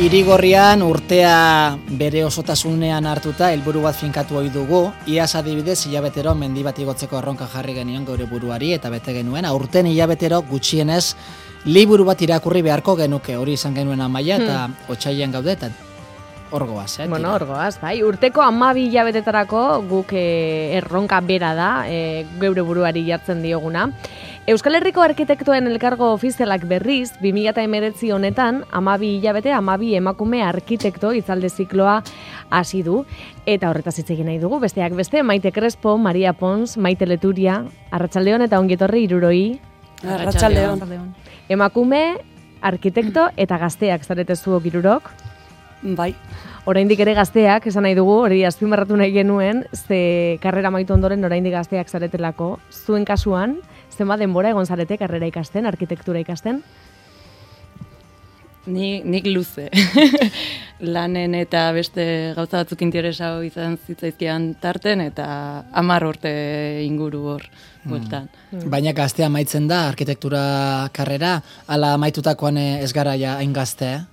Irigorrian urtea bere osotasunean hartuta helburu bat finkatu ohi dugu. Iaz adibidez hilabetero mendi bat igotzeko erronka jarri genion geure buruari eta bete genuen. Aurten hilabetero gutxienez liburu bat irakurri beharko genuke. Hori izan genuen amaia eta otsailean gaude eta orgoaz. Bueno, orgoaz, bai. Urteko 12 hilabetetarako guk erronka bera da, geure buruari jartzen dioguna. Euskal Herriko Arkitektuen Elkargo ofizialak berriz, 2019 honetan, 12 hilabete, 12 emakume arkitekto hitzaldi zikloa hasi du. Eta horretaz hitz egin nahi dugu, besteak beste, Maite Crespo, Maria Pons, Maite Leturia, Arratsaldeon eta ongetorri hiruroi. Arratsaldeon. Emakume, arkitekto eta gazteak zarete zuok hirurok. Bai. Oraindik ere gazteak, esan nahi dugu, hori azpimarratu nahi genuen, ze karrera amaitu ondoren oraindik gazteak zaretelako. Zuen kasuan, zenbat denbora egon zarete karrera ikasten, arkitektura ikasten? Nik luze. Lanen eta beste gauza batzuk interesau izan zitzaizkian tarten eta 10 urte inguru hor bueltan. Baina gaztea amaitzen da arkitektura karrera, ala amaitutakoan ez gara ja hain gazte,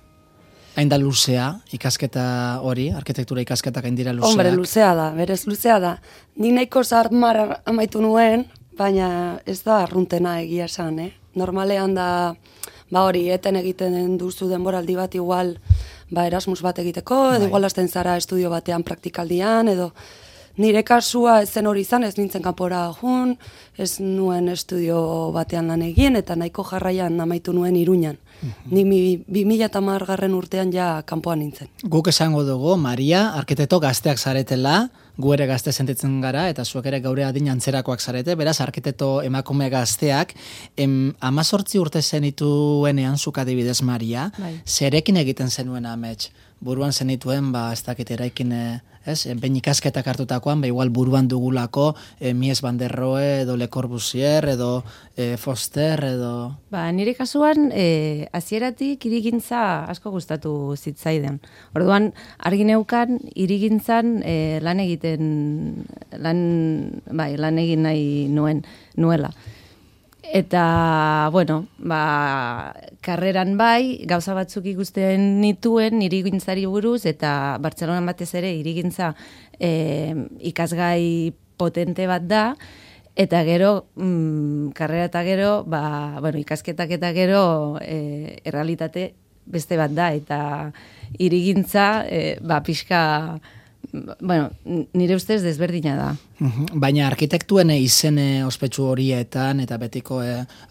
hain da luzea, ikasketa hori, arkitektura ikasketak hain dira luzeak. Hombre, luzea da, berez luzea da. Nik nahiko zarmar amaitu nuen, baina ez da arruntena egia esan, Normalean da, hori, eten egiten duzu denboraldi bat igual, Erasmus bat egiteko, edo igual hasten zara estudio batean praktikaldian, edo nire kasua ez zen hori izan, ez nintzen kanpora jun, ez nuen estudio batean lan egin, eta nahiko jarraian amaitu nuen Iruñan. Ni 2010 urtean ja kanpoan nintzen. Guk esango dugu, Maria, arkitekto gazteak zaretela, gu ere gazte sentitzen gara, eta zuek ere gaure adin antzerakoak zarete, beraz, arkitekto emakume gazteak, 18 urte zenituenean zuk adibidez, Maria, zerekin egiten zenuen amets? Buruan zenituen, ez dakit eraikin, behin ikasketak hartutakoan, igual buruan dugulako Mies van der Rohe, edo Le Corbusier, edo Foster, edo... Nire kasuan, hasieratik hirigintza asko gustatu zitzaiden. Orduan, argi neukan, hirigintzan lan egin nahi nuela. Eta, bueno, karreran gauza batzuk ikusten nituen hirigintzari buruz, eta Bartzelonan batez ere hirigintza ikasgai potente bat da, eta gero, karrera eta gero, ikasketak eta gero errealitate beste bat da, eta hirigintza, pixka... nire ustez desberdina da. Baina arkitektuen izen ospetsu horietan eta betiko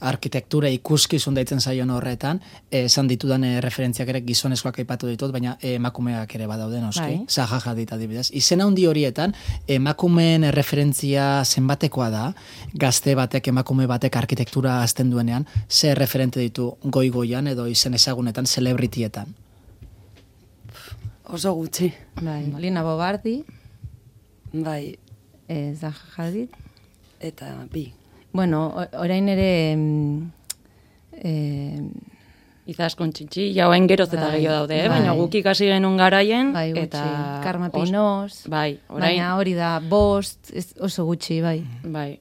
arkitektura ikuskizun deitzen zaion horretan, esan ditudan referentziak ere gizonezkoak aipatu ditut, baina emakumeak ere badaude noski, Zaha Hadid adibidez. Izen handi horietan, emakumeen referentzia zenbatekoa da, gazte batek, emakume batek arkitektura azten duenean, ze referente ditu goigoian edo izen ezagunetan, celebritietan? Oso gutxi. Lina Bobardi. Zaha Hadid. Eta bi. Bueno, orain ere... Izaskun txintxi, jauen geroz eta gehiago daude, baina guk ikasi genuen garaien. Eta... Karma Pinos. Baina hori da, bost, oso gutxi,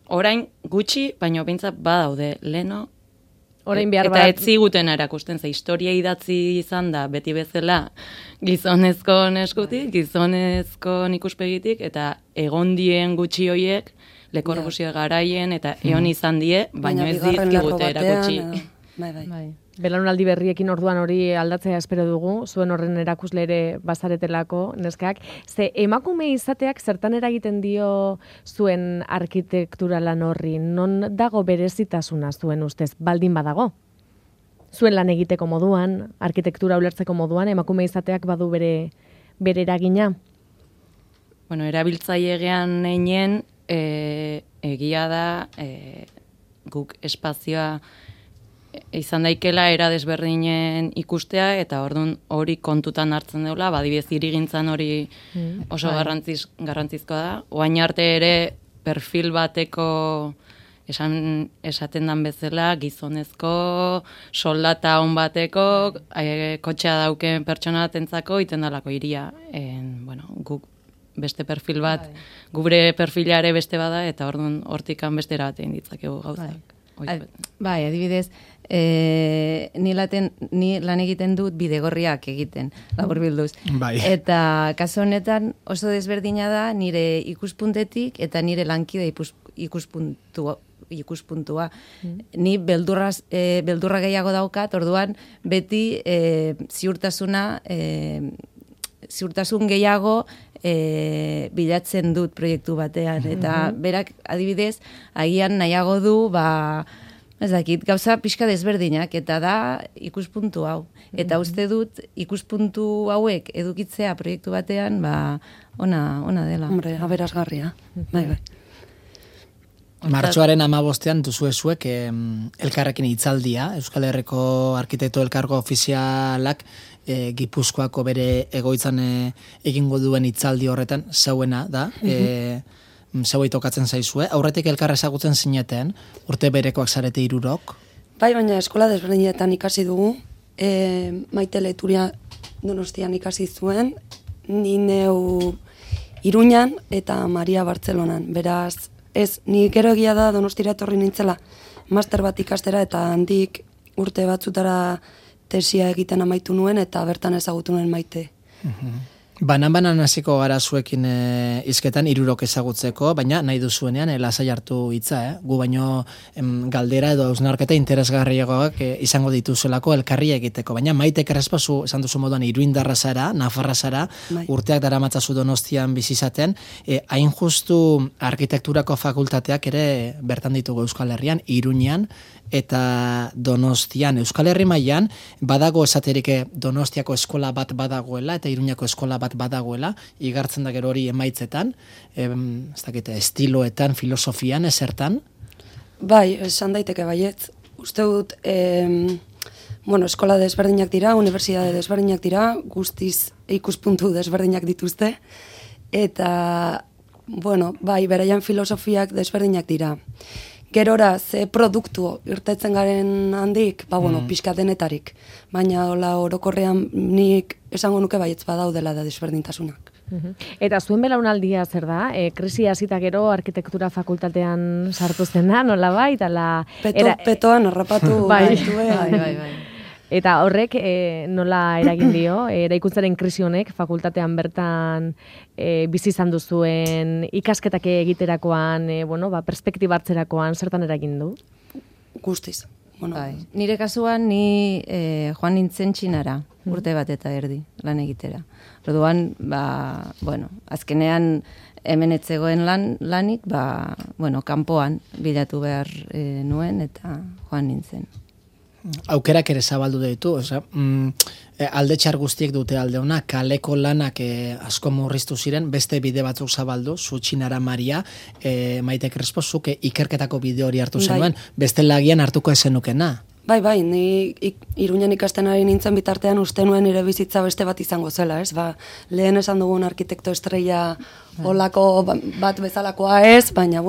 Orain gutxi, baina bintzat badaude, leno... Eta ez ziguten erakusten, historia idatzi izan da, beti bezala gizonezko eskutik, gizonezko ikuspegitik, eta egondien gutxi hoiek, Le Corbusier garaien, eta egon izan die, baina ez dizkigute erakutsi. Belaunaldi berriekin orduan hori aldatzea espero dugu, zuen horren erakusle ere bazaretelako, neskak. Ze emakume izateak zertan eragiten dio zuen arkitektura lan horri? Non dago berezitasuna zuen ustez, baldin badago? Zuen lan egiteko moduan, arkitektura ulertzeko moduan, emakume izateak badu bere eragina? Bueno, erabiltzailean einen, egia da, guk espazioa izan daikela era desberdinen ikustea, eta orduan hori kontutan hartzen deula, badibidez hirigintzan hori oso garrantzizkoa da. Oain arte ere perfil bateko esaten dan bezala, gizonezko, soldata on bateko, kotxea dauken pertsona batentzako iten dalako hiria. Guk beste perfil bat, gure perfilare beste bada, eta orduan hortikan beste erabatein ditzakegu gauzak. Bai, adibidez, ni lan egiten dut bidegorriak egiten, laburbilduz. Bai. Eta kasu honetan oso desberdina da nire ikuspuntetik eta nire lankide ikuspuntua. Ni beldurra gehiago daukat, orduan beti ziurtasun gehiago bilatzen dut proiektu batean. Eta berak adibidez, agian nahiago du, ez dakit, gauza pixka desberdinak, eta da ikuspuntu hau. Eta uste dut ikuspuntu hauek edukitzea proiektu batean, ona dela. Hombre, aberasgarria. Bai. Martxoaren 15ean duzuezuek elkarrekin hitzaldia, Euskal Herriko Arkitekto Elkargo Ofizialak Gipuzkoako bere egoitzan egingo duen hitzaldi horretan zeuena da, zeuei tokatzen zaizue. Aurretik elkar ezagutzen zineten, urte berekoak zarete 3. Bai, baina eskola desberdinetan ikasi dugu, Maite Leturia Donostian ikasi zuen, ni neu Iruñan eta Maria Bartzelonan. Beraz, ni gero egia da Donostira etorri nintzela master bat ikastera eta handik urte batzutara tesia egiten amaitu nuen eta bertan ezagutu nuen Maite. Banan hasiko gara zuekin hizketan 3 ezagutzeko, baina nahi duzuenean lasai hartu hitza, gu baino galdera edo hausnarketa interesgarriagoak izango dituzuelako elkarri egiteko, baina Maite Krespozu esan duzu moduan iruindarra zara, nafarra zara, urteak daramatzazu Donostian bizi izaten, hain justu arkitekturako fakultateak ere bertan ditugu Euskal Herrian, Iruñean eta Donostian. Euskal Herri mailan badago esaterik Donostiako eskola bat badagoela eta Iruñako eskola bat badagoela, igartzen da gero hori emaitzetan, ez dakite, estiloetan, filosofian, esertan? Bai, esan daiteke baietz. Uste dut, eskola desberdinak dira, unibertsitate desberdinak dira, guztiz ikuspuntu desberdinak dituzte, eta, bai, beraian filosofiak desberdinak dira. Gerora, ze produktu irtetzen garen handik, pixka denetarik. Baina, orokorrean nik esango nuke baietz badaudela da desberdintasunak. Eta zuen belaunaldia zer da? Krisi hasita gero arkitektura fakultatean sartu zen da, nola bai? Petoan harrapatu baituen. Bai. Eta horrek nola eragin dio, eraikuntzaren krisi honek fakultatean bertan bizi izan duzuen ikasketak egiterakoan, perspektiba hartzerakoan zertan eragin du? Guztiz. Bai. Nire kasuan ni joan nintzen Txinara, urte bat eta erdi lan egitera. Orduan, azkenean hemen etzegoen lanik, kanpoan bilatu behar nuen eta joan nintzen. Aukerak ere zabaldu ditu, alde txar guztiek dute alde ona, kaleko lanak asko murriztu ziren, beste bide batzuk zabaldu, zu Txinara Maria, Maite Krespozuk ikerketako bide hori hartu zenuen, beste lagian hartuko ezenukena. Bai, ni Iruñan ikasten ari nintzen bitartean uste nuen nire bizitza beste bat izango zela, ez? Lehen esan dugun arkitekto estrella olako bat bezalakoa ez, baina,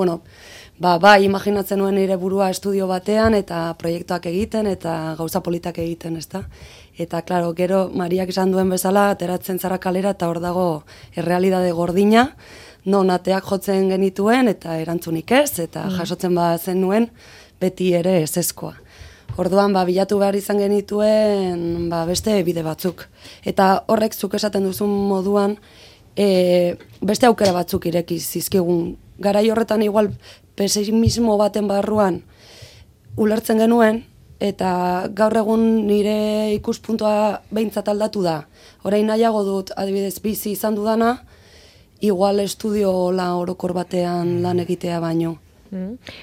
bai, imaginatzen nuen nire burua estudio batean eta proiektuak egiten eta gauza politak egiten, ezta? Eta, klaro, gero Mariak esan duen bezala, ateratzen zara kalera eta hor dago errealidade gordina, non ateak jotzen genituen eta erantzunik ez, eta jasotzen zen nuen beti ere ezezkoa. Orduan, bilatu behar izan genituen beste bide batzuk. Eta horrek zuk esaten duzun moduan, beste aukera batzuk ireki zizkigun. Garai horretan igual pesimismo baten barruan ulertzen genuen, eta gaur egun nire ikuspuntua behintzat aldatu da. Orain nahiago dut, adibidez, bizi izan dudana, igual estudio orokor batean lan egitea baino.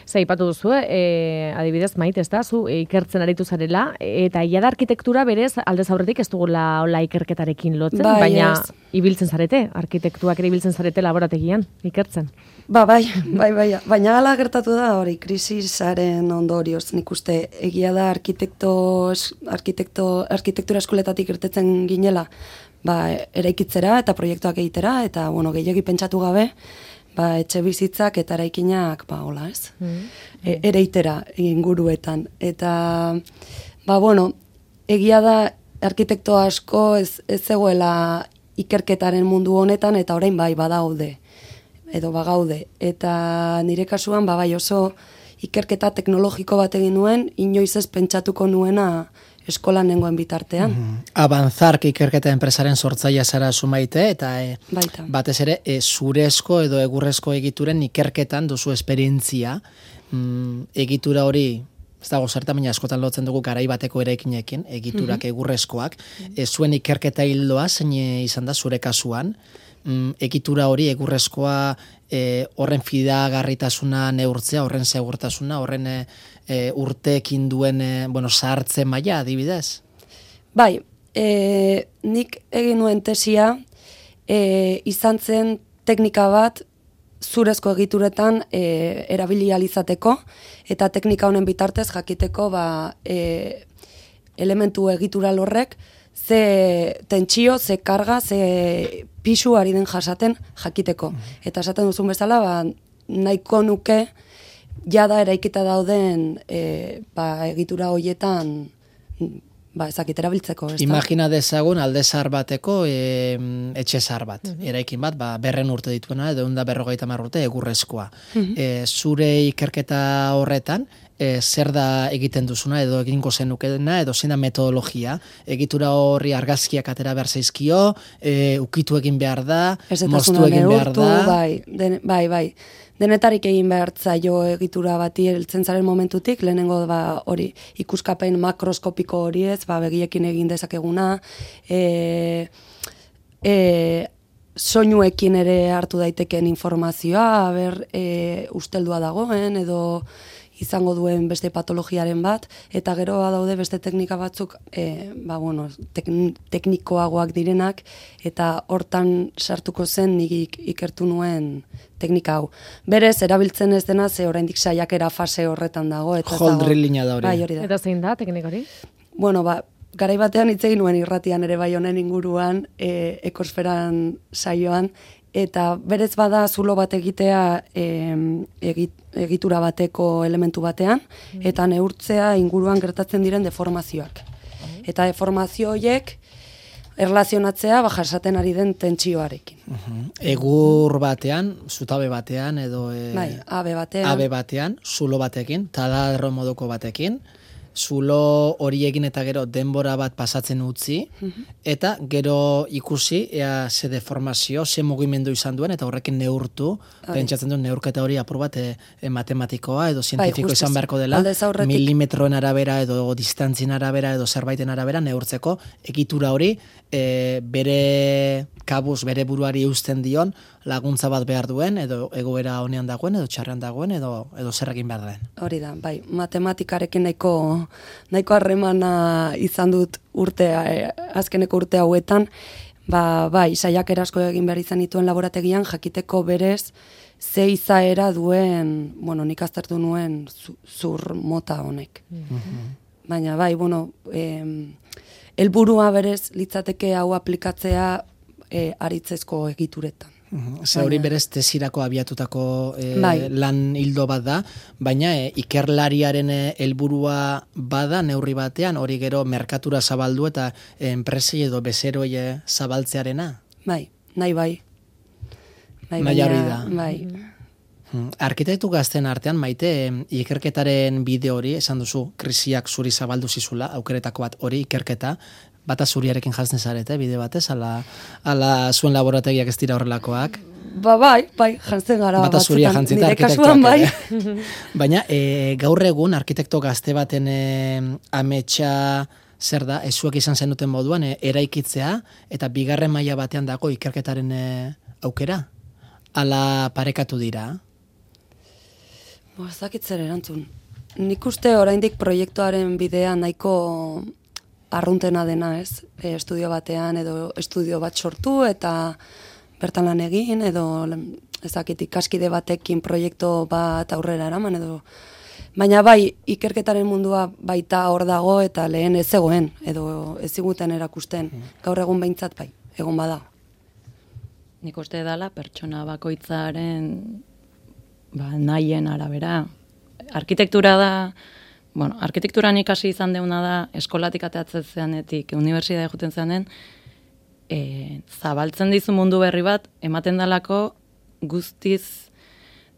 Zaipatu duzu, adibidez Maite, ez da, zu ikertzen aritu zarela, eta ia da arkitektura berez aldez aurretik ez dugula hola ikerketarekin lotzen, baina ibiltzen zarete, arkitektuak ere ibiltzen zarete laborategian, ikertzen. Bai, baina hala gertatu da hori, krisisaren ondorioz, nik uste egia da arkitektura eskoletatik irtetzen ginela, eraikitzera eta proiektuak egitera, eta gehiegi pentsatu gabe, etxe bizitzak eta eraikinak, hola ez, ereitera inguruetan. Eta, egia da arkitekto asko ez zegoela ikerketaren mundu honetan, eta orain badaude, edo bagaude. Eta nire kasuan, bai oso ikerketa teknologiko bat egin nuen, inoiz ez pentsatuko nuena eskolan nengoen bitartean. Avanzark ikerketa enpresaren sortzailea zara zumaite, eta Baita. batez ere zurezko edo egurrezko egituren ikerketan duzu esperientzia. Egitura hori, ez dago zerta, baina askotan lotzen dugu garai bateko eraikinekin, egiturak egurrezkoak. Zuen ikerketa hildoa zein izan da zure kasuan, egitura hori egurrezkoa horren fidagarritasuna neurtzea, horren segurtasuna, horren urteekin duen zahartze maila adibidez? Bai, nik egin nuen tesia izan zen teknika bat zurezko egituretan erabili ahal izateko, eta teknika honen bitartez jakiteko elementu egitural horrek ze tentsio, ze karga, ze pisu ari den jasaten jakiteko. Eta esaten duzun bezala, nahiko nuke jada eraikita dauden egitura horietan ezakit erabiltzeko. Imagina dezagun alde zahar bateko etxe zahar bat, eraikin bat, 100 urte dituena, edo 150 urte egurrezkoa. Zure ikerketa horretan, zer da egiten duzuna, edo egingo zenukena, edo zein da metodologia, egitura horri argazkiak atera behar zaizkio, ukitu egin behar da, moztu egin behar da. Bai. Denetarik egin behar zaio egitura bati heltzen zaren momentutik, lehenengo hori ikuskapen makroskopiko hori ez, begiekin egin dezakeguna, soinuekin ere hartu daiteken informazioa, usteldua dagoen, edo izango duen beste patologiaren bat, eta gero daude beste teknika batzuk teknikoagoak direnak, eta hortan sartuko zen nik ikertu nuen teknika hau. Berez, erabiltzen ez dena, ze oraindik saiakera fase horretan dago. Hol drillina da hori. Bai, hori da. Eta zein da teknika hori? Bueno, garai batean hitz egin nuen irratian ere bai honen inguruan, ekosferan saioan, eta berez bada zulo bat egitea egitura bateko elementu batean, eta neurtzea inguruan gertatzen diren deformazioak. Eta deformazio horiek erlazionatzea jasaten ari den tentsioarekin. Egur batean, zutabe batean, edo abe batean, zulo batekin, taladro moduko batekin, zulo hori egin eta gero denbora bat pasatzen utzi, eta gero ikusi ea ze deformazio, ze mugimendu izan duen, eta horrekin neurtu, pentsatzen duen neurketa hori apur bat matematikoa edo zientifiko izan beharko dela, milimetroen arabera edo distantzien arabera edo zerbaiten arabera neurtzeko egitura hori bere kabuz, bere buruari eusten dion laguntza bat behar duen, edo egoera honean dagoen, edo txarrean dagoen, edo zer egin behar den. Hori da, bai, matematikarekin nahiko harremana izan dut azkeneko urte hauetan, bai, saiakera asko egin behar izan dituen laborategian, jakiteko berez, ze izaera duen, nik aztertu nuen zur mota honek. Baina, bai, helburua berez litzateke hau aplikatzea aritzezko egituretan. Ze hori berez tesirako abiatutako lan hildo bat da, baina ikerlariaren helburua bada neurri batean, hori gero merkatura zabaldu eta enpresei edo bezeroi zabaltzearena? Bai, nahi bai. Nahi hori da. Bai. Arkitektu gazten artean, Maite, ikerketaren bide hori, esan duzu, krisiak zuri zabaldu zizula, aukeretako bat hori ikerketa, bata zuriarekin jazten zarete, bide batez, ala zuen laborategiak ez dira horrelakoak? Bai, jantzen gara. Bata zuria jantzita arkitektuak. Bai. Baina, gaur egun, arkitekto gazte baten ametsa zer da, zuek izan zenuten moduan, eraikitzea, eta bigarren maila batean dago ikerketaren aukera? Ala parekatu dira? Ez dakit zer erantzun. Nik uste oraindik proiektuaren bidea nahiko arruntena dena, ez? Estudio batean edo estudio bat sortu eta bertan lan egin edo ezakit ikaskide batekin proiektu bat aurrera eraman edo baina bai ikerketaren mundua baita hor dago eta lehen ez zegoen edo ez ziguten erakusten. Gaur egun behintzat bai, egon bada. Nik uste dela pertsona bakoitzaren nahien arabera. Arkitektura da, arkitekturan ikasi izan deuna da, eskolatik ateatzen zeanetik, unibertsitatea joten zeanen, zabaltzen dizu mundu berri bat, ematen dalako guztiz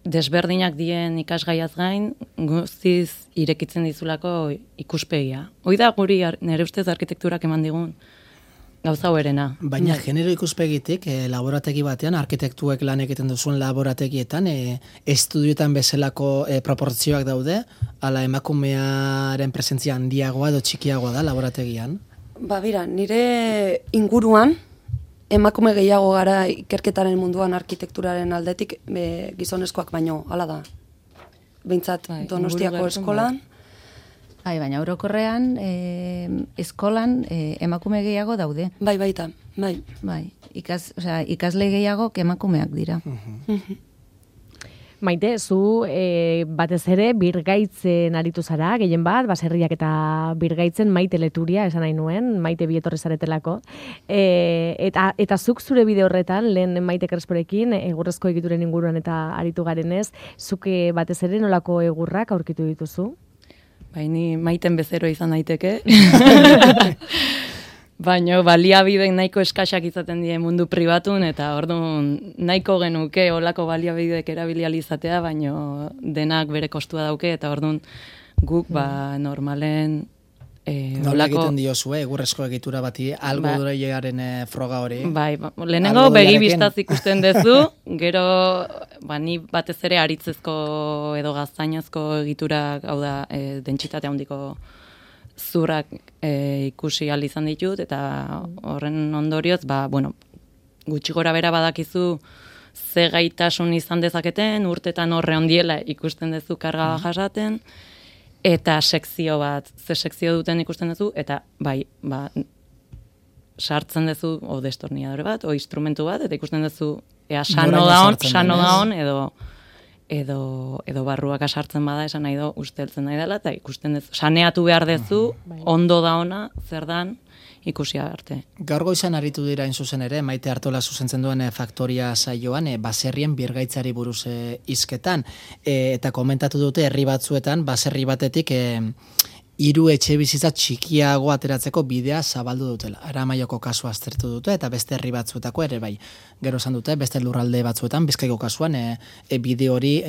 desberdinak dien ikasgaiaz gain, guztiz irekitzen dizulako ikuspegia. Hoi da guri nire ustez arkitekturak eman digun gauza hoerena. Baina genero ikuspegitik, laborategi batean, arkitektuek lan egiten duzuen laborategietan, estudioetan bezalako proportzioak daude, ala emakumearen presentzia handiagoa edo txikiagoa da laborategian? Ba, bira, nire inguruan, emakume gehiago gara ikerketaren munduan arkitekturaren aldetik, gizonezkoak baino, hala da. Behintzat, Donostiako eskolan. Baina orokorrean, eskolan emakume gehiago daude. Bai, baita, bai. Bai, ikasle gehiago emakumeak dira. Maite, zu batez ere birgaitzen aritu zara, gehien bat, baserriak eta birgaitzen Maite Leturia, esan nahi nuen, Maite bietorri zaretelako. Eta zuk zure bide horretan, lehen Maite Kresporekin, egurrezko egituren inguruan eta aritu garenez, zuk batez ere nolako egurrak aurkitu dituzu? Baini Maiten bezero izan daiteke. Baina baliabidek nahiko eskaxak izaten die mundu pribatun, eta orduan nahiko genuke olako baliabidek erabiliali izatea, baina denak bere kostua dauke, eta orduan guk normalen nola egiten diozue, egurrezko egitura bati, algo dureiaren froga hori? Bai, lehenengo begi bistaz ikusten duzu, gero ni batez ere aritzezko edo gaztainazko egiturak, hau da, dentsitate handiko zurrak ikusi ahal izan ditut, eta horren ondorioz, gutxi gora bera badakizu ze gaitasun izan dezaketen, urtetan horre ondiela ikusten duzu karga jasaten, eta sekzio bat, ze sekzio duten ikusten duzu, eta sartzen duzu o destorniadore bat, o instrumentu bat, eta ikusten duzu sano daon, edo barruak asartzen bada, esan nahi do, usteltzen nahi dela, eta ikusten duzu, saneatu behar duzu, ondo daona, zer dan, ikusi arte. Gaur goizan aritu dira zuzen ere, Maite Artola zuzentzen duen Faktoria saioan, baserrien birgaitzari buruz hizketan, eta komentatu dute herri batzuetan, baserri batetik hiru etxe bizitza txikiago ateratzeko bidea zabaldu dutela. Aramaioko kasua aztertu dute, eta beste herri batzuetako ere bai. Gero esan dute, beste lurralde batzuetan, Bizkaiko kasuan, bide hori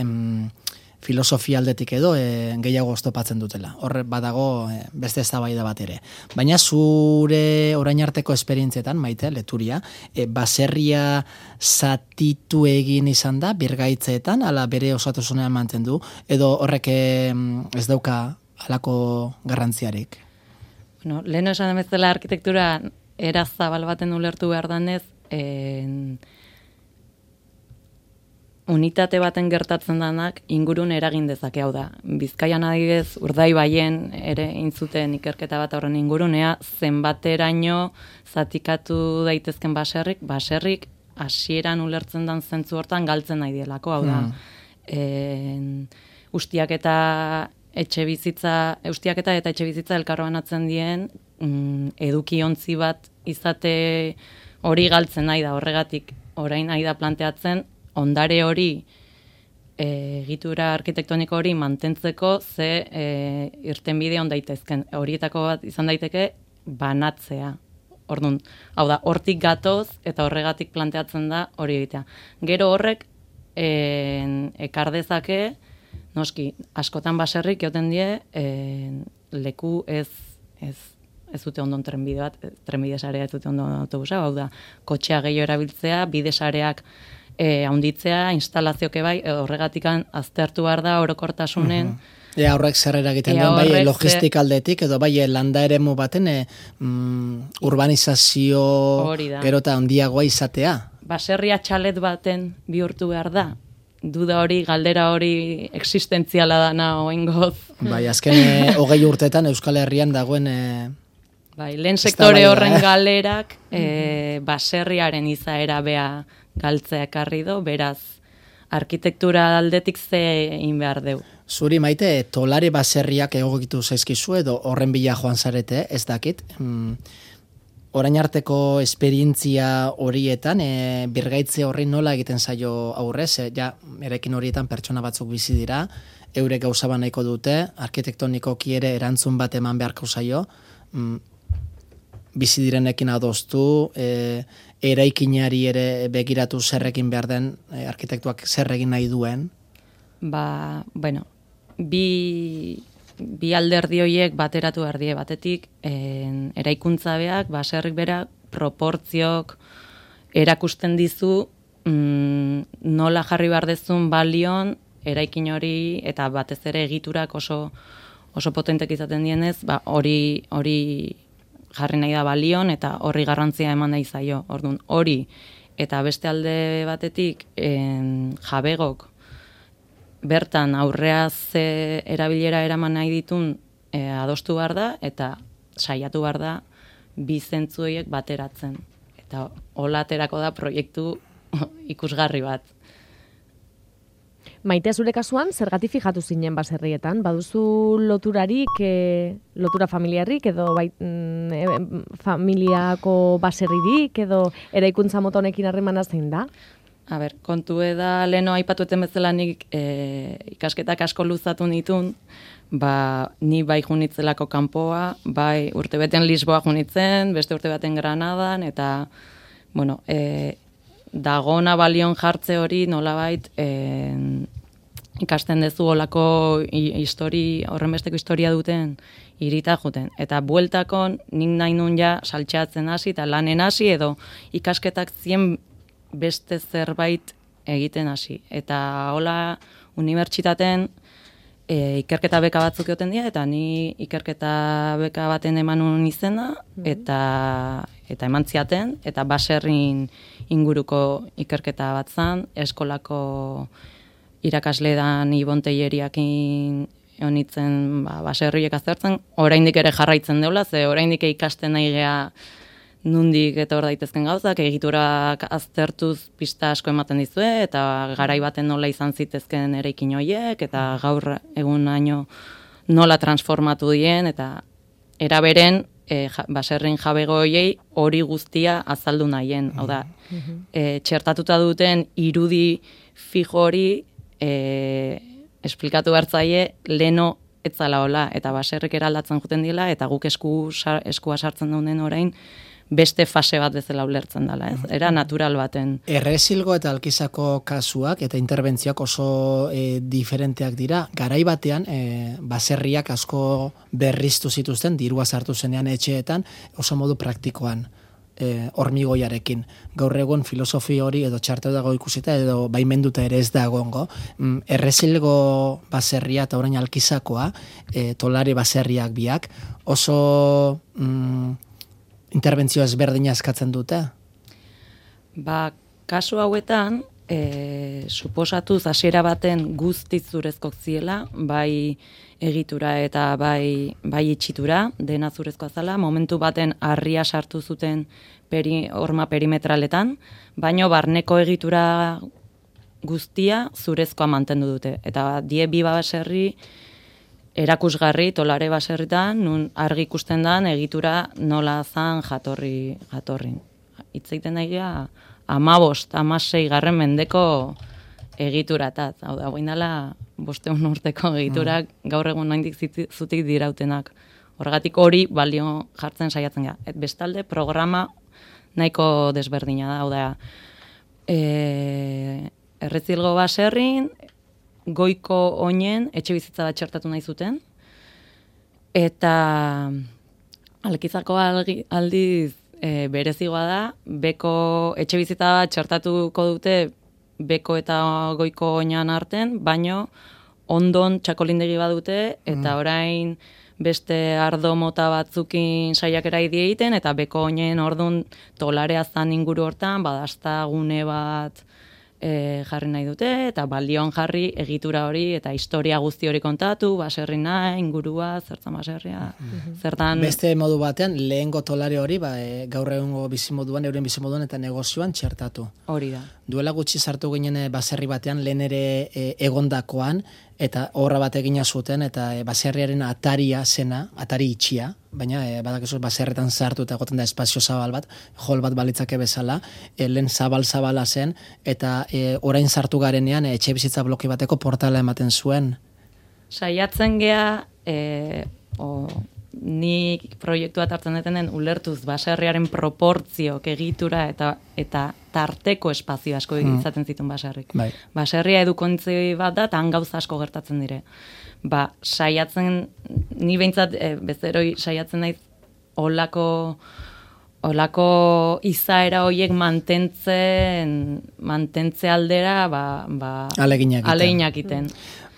filosofia aldetik edo gehiago oztopatzen dutela. Hor badago beste eztabaida bat ere. Baina zure orain arteko esperientzietan, Maite Leturia, baserria zatitu egin izan da birgaitzeetan, ala bere osotasunean mantendu, edo horrek ez dauka halako garrantziarik? Bueno, lehen esan bezala arkitektura era zabal baten ulertu behar danez, unitate baten gertatzen danak ingurun eragin dezake, hau da. Bizkaian adibidez Urdaibaien ere intzuten ikerketa bat horren ingurunea, zenbateraino zatikatu daitezken baserrik hasieran ulertzen dan zentzu hortan galtzen nahi dielako, hau da. Ustiak eta etxe bizitza elkarbanatzen dien edukiontzi bat izate hori galtzen nahi da, horregatik orain nahi da planteatzen ondare hori, egitura arkitektoniko hori mantentzeko ze irtenbide on daitezken. Horietako bat izan daiteke banatzea. Orduan, hau da, hortik gatoz eta horregatik planteatzen da hori egitea. Gero horrek ekar dezake, noski, askotan baserrik joten die, leku ez dute ondon trenbide bat, trenbide sarea ez dute ondon autobusa, hau da, kotxea gehiago erabiltzea, bide sareak haunditzea, instalazioke bai, horregatikan aztertu behar da orokortasunen. Horrek zer eragiten duen, bai logistik aldetik, edo bai landa eremu baten urbanizazio gero eta handiagoa izatea. Baserria txalet baten bihurtu behar da. Duda hori, galdera hori existentziala dana oingoz. Bai, azken 20 urteetan Euskal Herrian dagoen lehen sektore horren galerak baserriaren izaera bea galtzea ekarri do, beraz, arkitektura aldetik ze egin behar deu. Zuri, Maite, tolare baserriak egokitu zaizkizu edo horren bila joan zarete, ez dakit. Orain arteko esperientzia horietan, birgaitze horri nola egiten zaio aurrez, erekin horietan pertsona batzuk bizi dira, eurek gauza nahiko dute, arkitektonikoki ere erantzun bat eman beharko zaio, bizi direnekin adostu, eraikinari ere begiratu zerrekin behar den, arkitektuak zer egin nahi duen. bueno, bi alderdi horiek bateratu behar die, batetik eraikuntza beak, baserrik berak, proportziok erakusten dizu nola jarri behar dezun balion eraikin hori, eta batez ere egiturak oso potentek izaten dienez, hori jarri nahi da balion, eta horri garrantzia eman nahi zaio. Orduan, hori, eta beste alde batetik jabegok bertan aurreaz erabilera eraman nahi ditun adostu behar da, eta saiatu behar da bi zentzu horiek bateratzen. Eta hola aterako da proiektu ikusgarri bat. Maitea, zure kasuan, zergatik fijatu zinen baserrietan? Baduzu loturarik, lotura familiarrik, edo familiako baserririk, edo eraikuntza mota honekin harremana zein da? Kontu da leheno aipatueten bezala nik ikasketak asko luzatu nitun, ni bai junitzelako kanpoa, bai urtebeten Lisboa junitzen, beste urtebaten Granadan, eta, bueno, dagona balion jartze hori nolabait ikasten dezu olako horrenbesteko historia duten irita juten. Eta bueltakon nik nahi nun ja saltxeatzen hasi eta lanen hasi edo ikasketak zien beste zerbait egiten hasi. Eta hola unibertsitaten ikerketa beka batzuk egoten dira, eta ni ikerketa beka baten emanun izena, eta eman ziaten, eta baserrin inguruko ikerketa bat zan, eskolako irakasledan Ibon Teieriakin honitzen baserriek aztertzen, oraindik ere jarraitzen deula, ze oraindik ikasten nahi gea nundik eta hor daitezken gauzak, egiturak aztertuz pista asko ematen dizue, eta garai baten nola izan zitezken eraikin horiek, eta gaur egunaino nola transformatu dien, eta eraberen baserrin jabego horiei hori guztia azaldu nahien. Hau da, txertatuta duten irudi fijo hori esplikatu bertzaie leno etzala hola, eta baserrik eraldatzen juten dila, eta guk eskua sartzen daunen orain, beste fase bat bezala ulertzen dela, ez? Era natural baten. Errezilgo eta Alkizako kasuak eta interbentzioak oso diferenteak dira. Garai batean, baserriak asko berriztu zituzten, dirua sartu zenean etxeetan, oso modu praktikoan, hormigoiarekin. Gaur egun filosofi hori edo txarteu dago ikusita edo baimenduta ere ez dagoengo. Errezilgo baserria eta orain Alkizakoa, tolari baserriak biak, oso interbentzio ezberdina eskatzen dute? Kasu hauetan, suposatuz hasiera baten guztiz zurezkoak ziela, bai egitura eta bai itxitura, dena zurezkoa zala, momentu baten harria sartu zuten horma perimetraletan, baino barneko egitura guztia zurezkoa mantendu dute. Eta die bi baserri erakusgarri tolare baserritan, nun argi ikusten dan egitura nola zan jatorrin. Itzeiten daigea 15-16 garren mendeko egituratat. Hau da, guindala 500 urteko egiturak gaur egun naindik zutik dirautenak. Horregatik hori balio jartzen saiatzen gara. Bestalde, programa nahiko desberdina da. Hau da, Errezilgo baserrin, goiko oinen etxe bizitza bat txertatu nahi zuten, eta Alkizako aldiz berezigoa da, beko etxe bizitza bat txertatuko dute beko eta goiko oinan arten, baino ondon txakolindegi badute, eta orain beste ardo mota batzukin saiakera egiten, eta beko oinen ordun tolarea zan inguru hortan, badazta gune bat jarri nahi dute, eta balion jarri egitura hori, eta historia guzti hori kontatu, baserrina, ingurua, zertan baserria, zertan... Beste modu batean, lehengo tolare hori, gaur egungo bizimoduan, euren bizimoduan eta negozioan txertatu. Hori da. Duela gutxi sartu ginen baserri batean, lehen ere egondakoan, eta horra bat egina zuten, eta baserriaren ataria zena, atari itxia, baina badakizu baserretan sartu eta egoten da espazio zabal bat, hol bat balitzake bezala, lehen zabal-zabala zen, eta orain sartu garenean etxe bizitza bloke bateko portala ematen zuen. Saiatzen gea, nik proiektua hartzen detenen ulertuz baserriaren proportzioak egitura eta tarteko espazio asko izaten zituen baserrik. Bai. Baserria edukontzi bat da, eta han gauza asko gertatzen dire. Saiatzen, ni behintzat bezeroi saiatzen naiz olako izaera horiek mantentze aldera aleginak iten.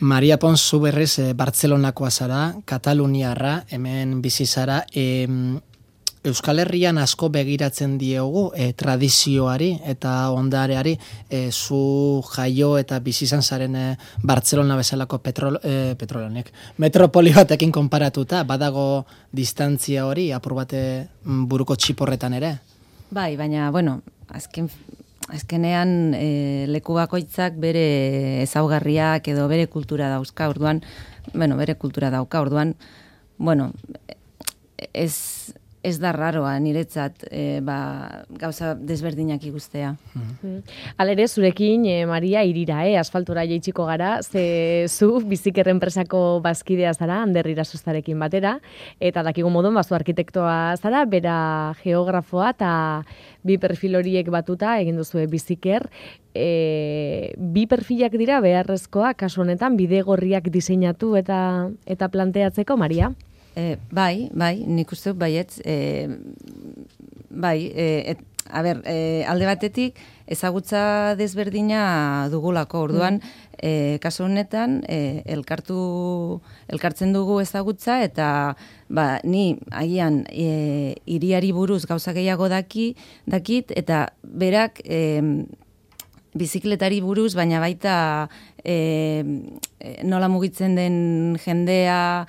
Maria Pons, zu berriz Bartzelonakoa zara, Kataluniarra, hemen bizi zara, Euskal Herrian asko begiratzen diogu tradizioari eta ondareari, zu jaio eta bizi izan zaren Bartzelona bezalako metropoli batekin konparatuta, badago distantzia hori, apur bate buruko txiporretan ere? Bai, baina, bueno, azkenean leku bakoitzak bere ezaugarriak edo bere kultura dauzka, orduan, ez da raroa niretzat gauza desberdinak ikustea. Halere, zurekin, Maria, irira, asfaltura jaitsiko gara, ze zu biziker enpresako bazkidea zara, Ander Irasostarekin batera, eta dakigu modun, bazu arkitektoa zara, bera geografoa, eta bi perfil horiek batuta, egin duzue biziker, bi perfilak dira beharrezkoa, kasu honetan, bidegorriak diseinatu eta planteatzeko, Maria? Bai, nik uste dut baietz, alde batetik ezagutza desberdina dugulako, orduan, kasu honetan, elkartzen dugu ezagutza, eta ni agian hiriari buruz gauza gehiago dakit, eta berak bizikletari buruz, baina baita nola mugitzen den jendea,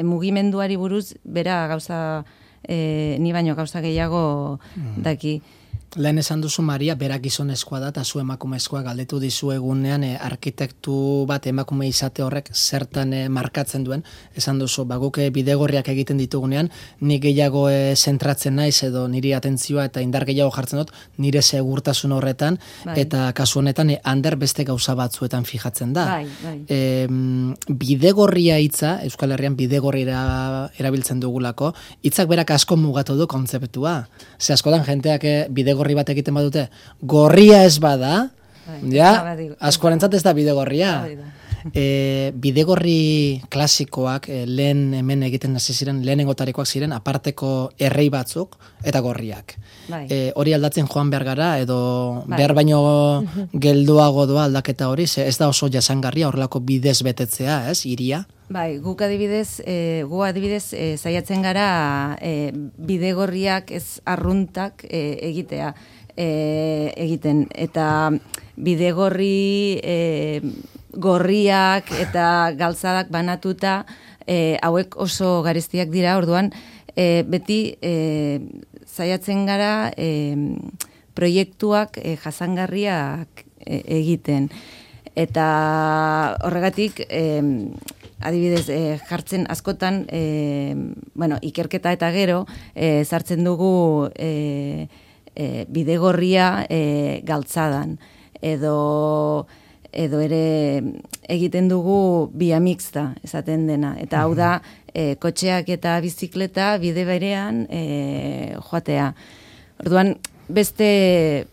mugimenduari buruz, bera gauza, ni baino gauza gehiago daki. Lehen esan duzu, Maria, berak gizonezkoa da, eta zu emakumezkoa galdetu dizu egunean, arkitektu bat emakume izate horrek zertan markatzen duen. Esan duzu, guk bidegorriak egiten ditugunean, ni gehiago zentratzen naiz, edo niri atentzioa eta indar gehiago jartzen dut, nire segurtasun horretan, eta kasu honetan, Ander beste gauza batzuetan fijatzen da. Bidegorria hitza, Euskal Herrian bidegorria erabiltzen dugulako, hitzak berak asko mugatu du kontzeptua. Ze askotan jenteak bidegorri bat egiten badute, gorria ez bada, askorentzat ez da bidegorria. Bidegorri klasikoak lehen hemen egiten hasi ziren, lehenengotarikoak ziren, aparteko errei batzuk eta gorriak. Hori aldatzen joan behar gara, edo behar baino gelduago doa aldaketa hori, ez da oso jasangarria horrelako bidez betetzea, hiria? Bai, gu adibidez saiatzen gara bidegorriak ez arruntak egiten, eta bidegorri gorriak eta galtzadak banatuta hauek oso garestiak dira, orduan beti saiatzen gara proiektuak jasangarriak egiten, eta horregatik adibidez, jartzen askotan, ikerketa eta gero, sartzen dugu bidegorria galtzadan, edo ere egiten dugu bia mixta, esaten dena. Eta hau da, kotxeak eta bizikleta bide berean joatea. Orduan, beste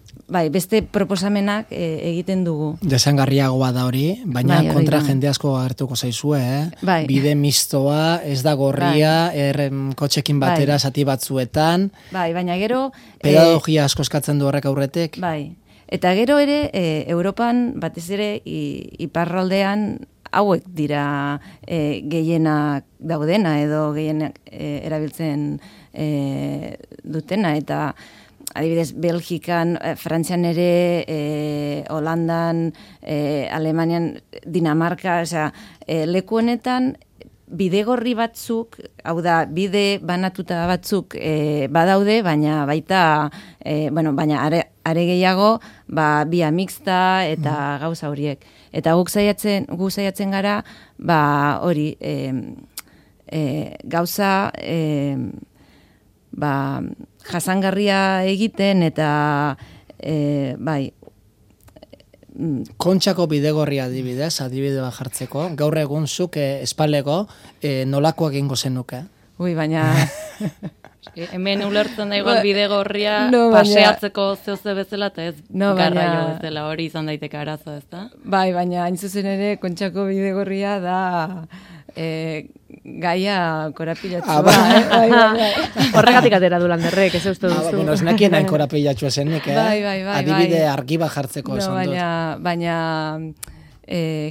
proposamenak egiten dugu. Desangarriagoa da hori, baina kontra jende asko agertuko zaizue, Bide mistoa, ez da gorria, kotxekin batera zati batzuetan. Baina gero... Pedagogia asko eskatzen du horrek aurretik. Eta gero ere, Europan, batez ere, iparraldean, hauek dira gehienak daudena, edo gehienak erabiltzen dutena, eta adibidez, Belgikan, Frantzian ere, Holandan, Alemanian, Dinamarka, leku honetan, bidegorri batzuk, hau da, bide banatuta batzuk badaude, baina baita, baina are gehiago, bia mixta eta gauza horiek. Eta guk saiatzen gara, hori, gauza, jasangarria egiten, eta Kontxako bidegorria adibide bat jartzeko, gaur egun zuk espalego nolakoak egingo zenuke? Ui, baina... Hemen ulertzen da igual bidegorria baina... paseatzeko zehose bezala, eta ez garraio baina... bezala, hori izan daiteke arazo, ez da? Bai, baina hain zuzen ere, Kontxako bidegorria da... gaia korapilatzua. Bai. Horregatik atera du Landerrek, ez uste duzu. Bueno, ez nekien hain korapilatxua zenik, Bai. Adibide argi bat jartzeko esan dut. Baina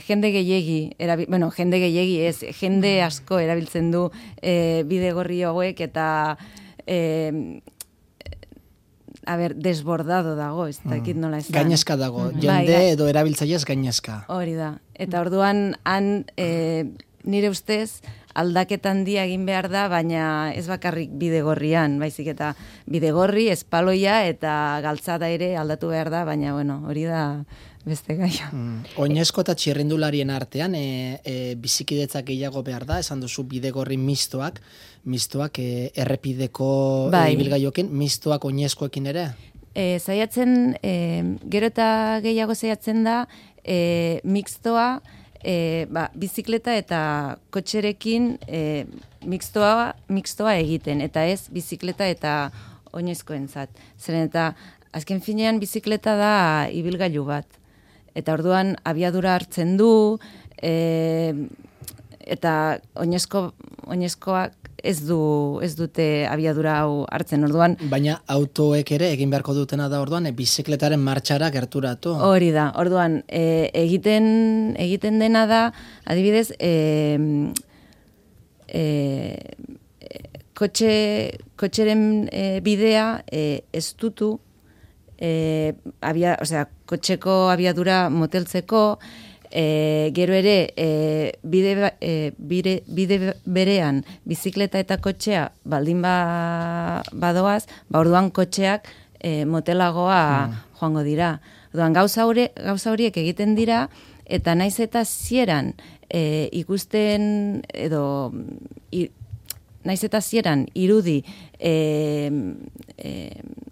jende gehiegi, jende gehiegi ez, jende asko erabiltzen du bidegorri hauek eta desbordado dago, ez dakit nola esan. Gainezka dago, jende edo erabiltzaileaz gainezka. Hori da. Eta orduan, nire ustez, aldaketan handia egin behar da, baina ez bakarrik bidegorrian, baizik eta bidegorri, espaloia eta galtzada ere aldatu behar da, baina hori da beste gaia. Oinezko eta txirrindularien artean, bizikidetzak gehiago behar da, esan duzu bidegorri mistoak errepideko ibilgaioekin, mistoak oinezkoekin ere? Zaiatzen, gero eta gehiago zaiatzen da, mixtoa, bizikleta eta kotxerekin mixtoa egiten, eta ez bizikleta eta oinezkoentzat. Zeren eta azken finean bizikleta da ibilgailu bat. Eta orduan abiadura hartzen du, eta oinezkoak ez dute abiadura hau hartzen, orduan. Baina autoek ere egin beharko dutena da orduan, bizikletaren martxara gerturatu. Hori da, orduan, egiten dena da, adibidez, kotxeren bidea estutu, kotxeko abiadura moteltzeko, gero ere bide berean bizikleta eta kotxea baldin badoaz, orduan kotxeak motelagoa joango dira. Orduan gauza horiek egiten dira, eta naiz eta zieran ikusten edo naiz eta zieran irudi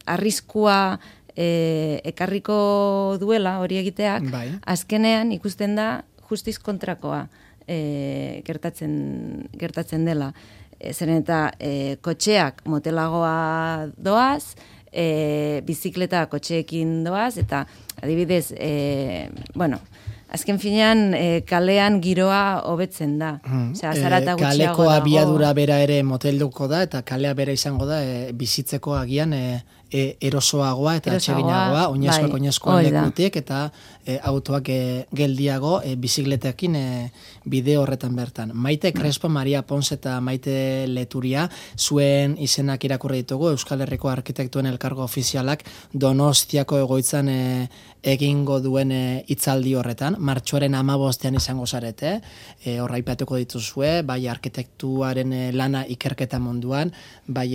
arriskua ekarriko duela hori egiteak, azkenean ikusten da justiz kontrakoa gertatzen dela. Zeren eta kotxeak motelagoa doaz, bizikleta kotxeekin doaz, eta adibidez, azken finean kalean giroa hobetzen da. Kaleko abiadura bera ere motelduko da, eta kalea bera izango da bizitzeko agian erosoagoa eta atseginagoa, oinezkoa lekutik, eta autoak geldiago bizikletekin bide horretan bertan. Maite Crespo, Maria Pons eta Maite Leturia, zuen izenak irakurri ditugu, Euskal Herriko Arkitektuen Elkargo Ofizialak Donostiako egoitzan egingo duen hitzaldi horretan, martxoaren 15ean izango zarete, horra aipatuko dituzue, bai arkitektuaren lana ikerketa munduan, bai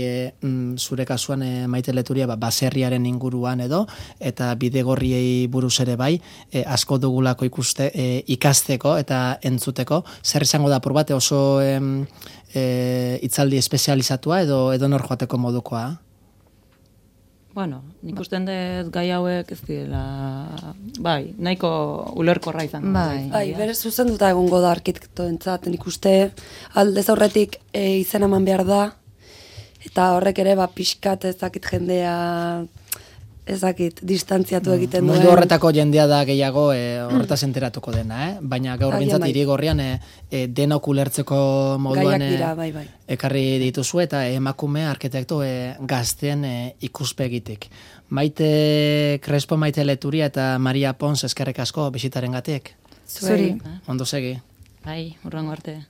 zure kasuan Maite Leturia baserriaren inguruan edo, eta bidegorriei buruz ere bai, asko dugulako ikasteko eta entzuteko. Zer izango da apur bat oso hitzaldi espezializatua edo nor joateko modukoa? Nik usten dut gai hauek ez dira, nahiko ulerkorra izan. Bere zuzenduta egongo da arkitektoentzat, nik uste aldez aurretik izan eman behar da, eta horrek ere pixkat ezakit jendea distantziatu egiten duen. Mundu horretako jendea da gehiago horretaz enteratuko dena, baina gaur bintzat irigorrian denok ulertzeko moduan ekarri dituzu eta emakume arkitekto gazten ikuspegitik. Maite Crespo, Maite Leturia eta Maria Pons eskerrik asko bisitaren gatik. Zuri. Ondo segi. Bai, urrengo arte.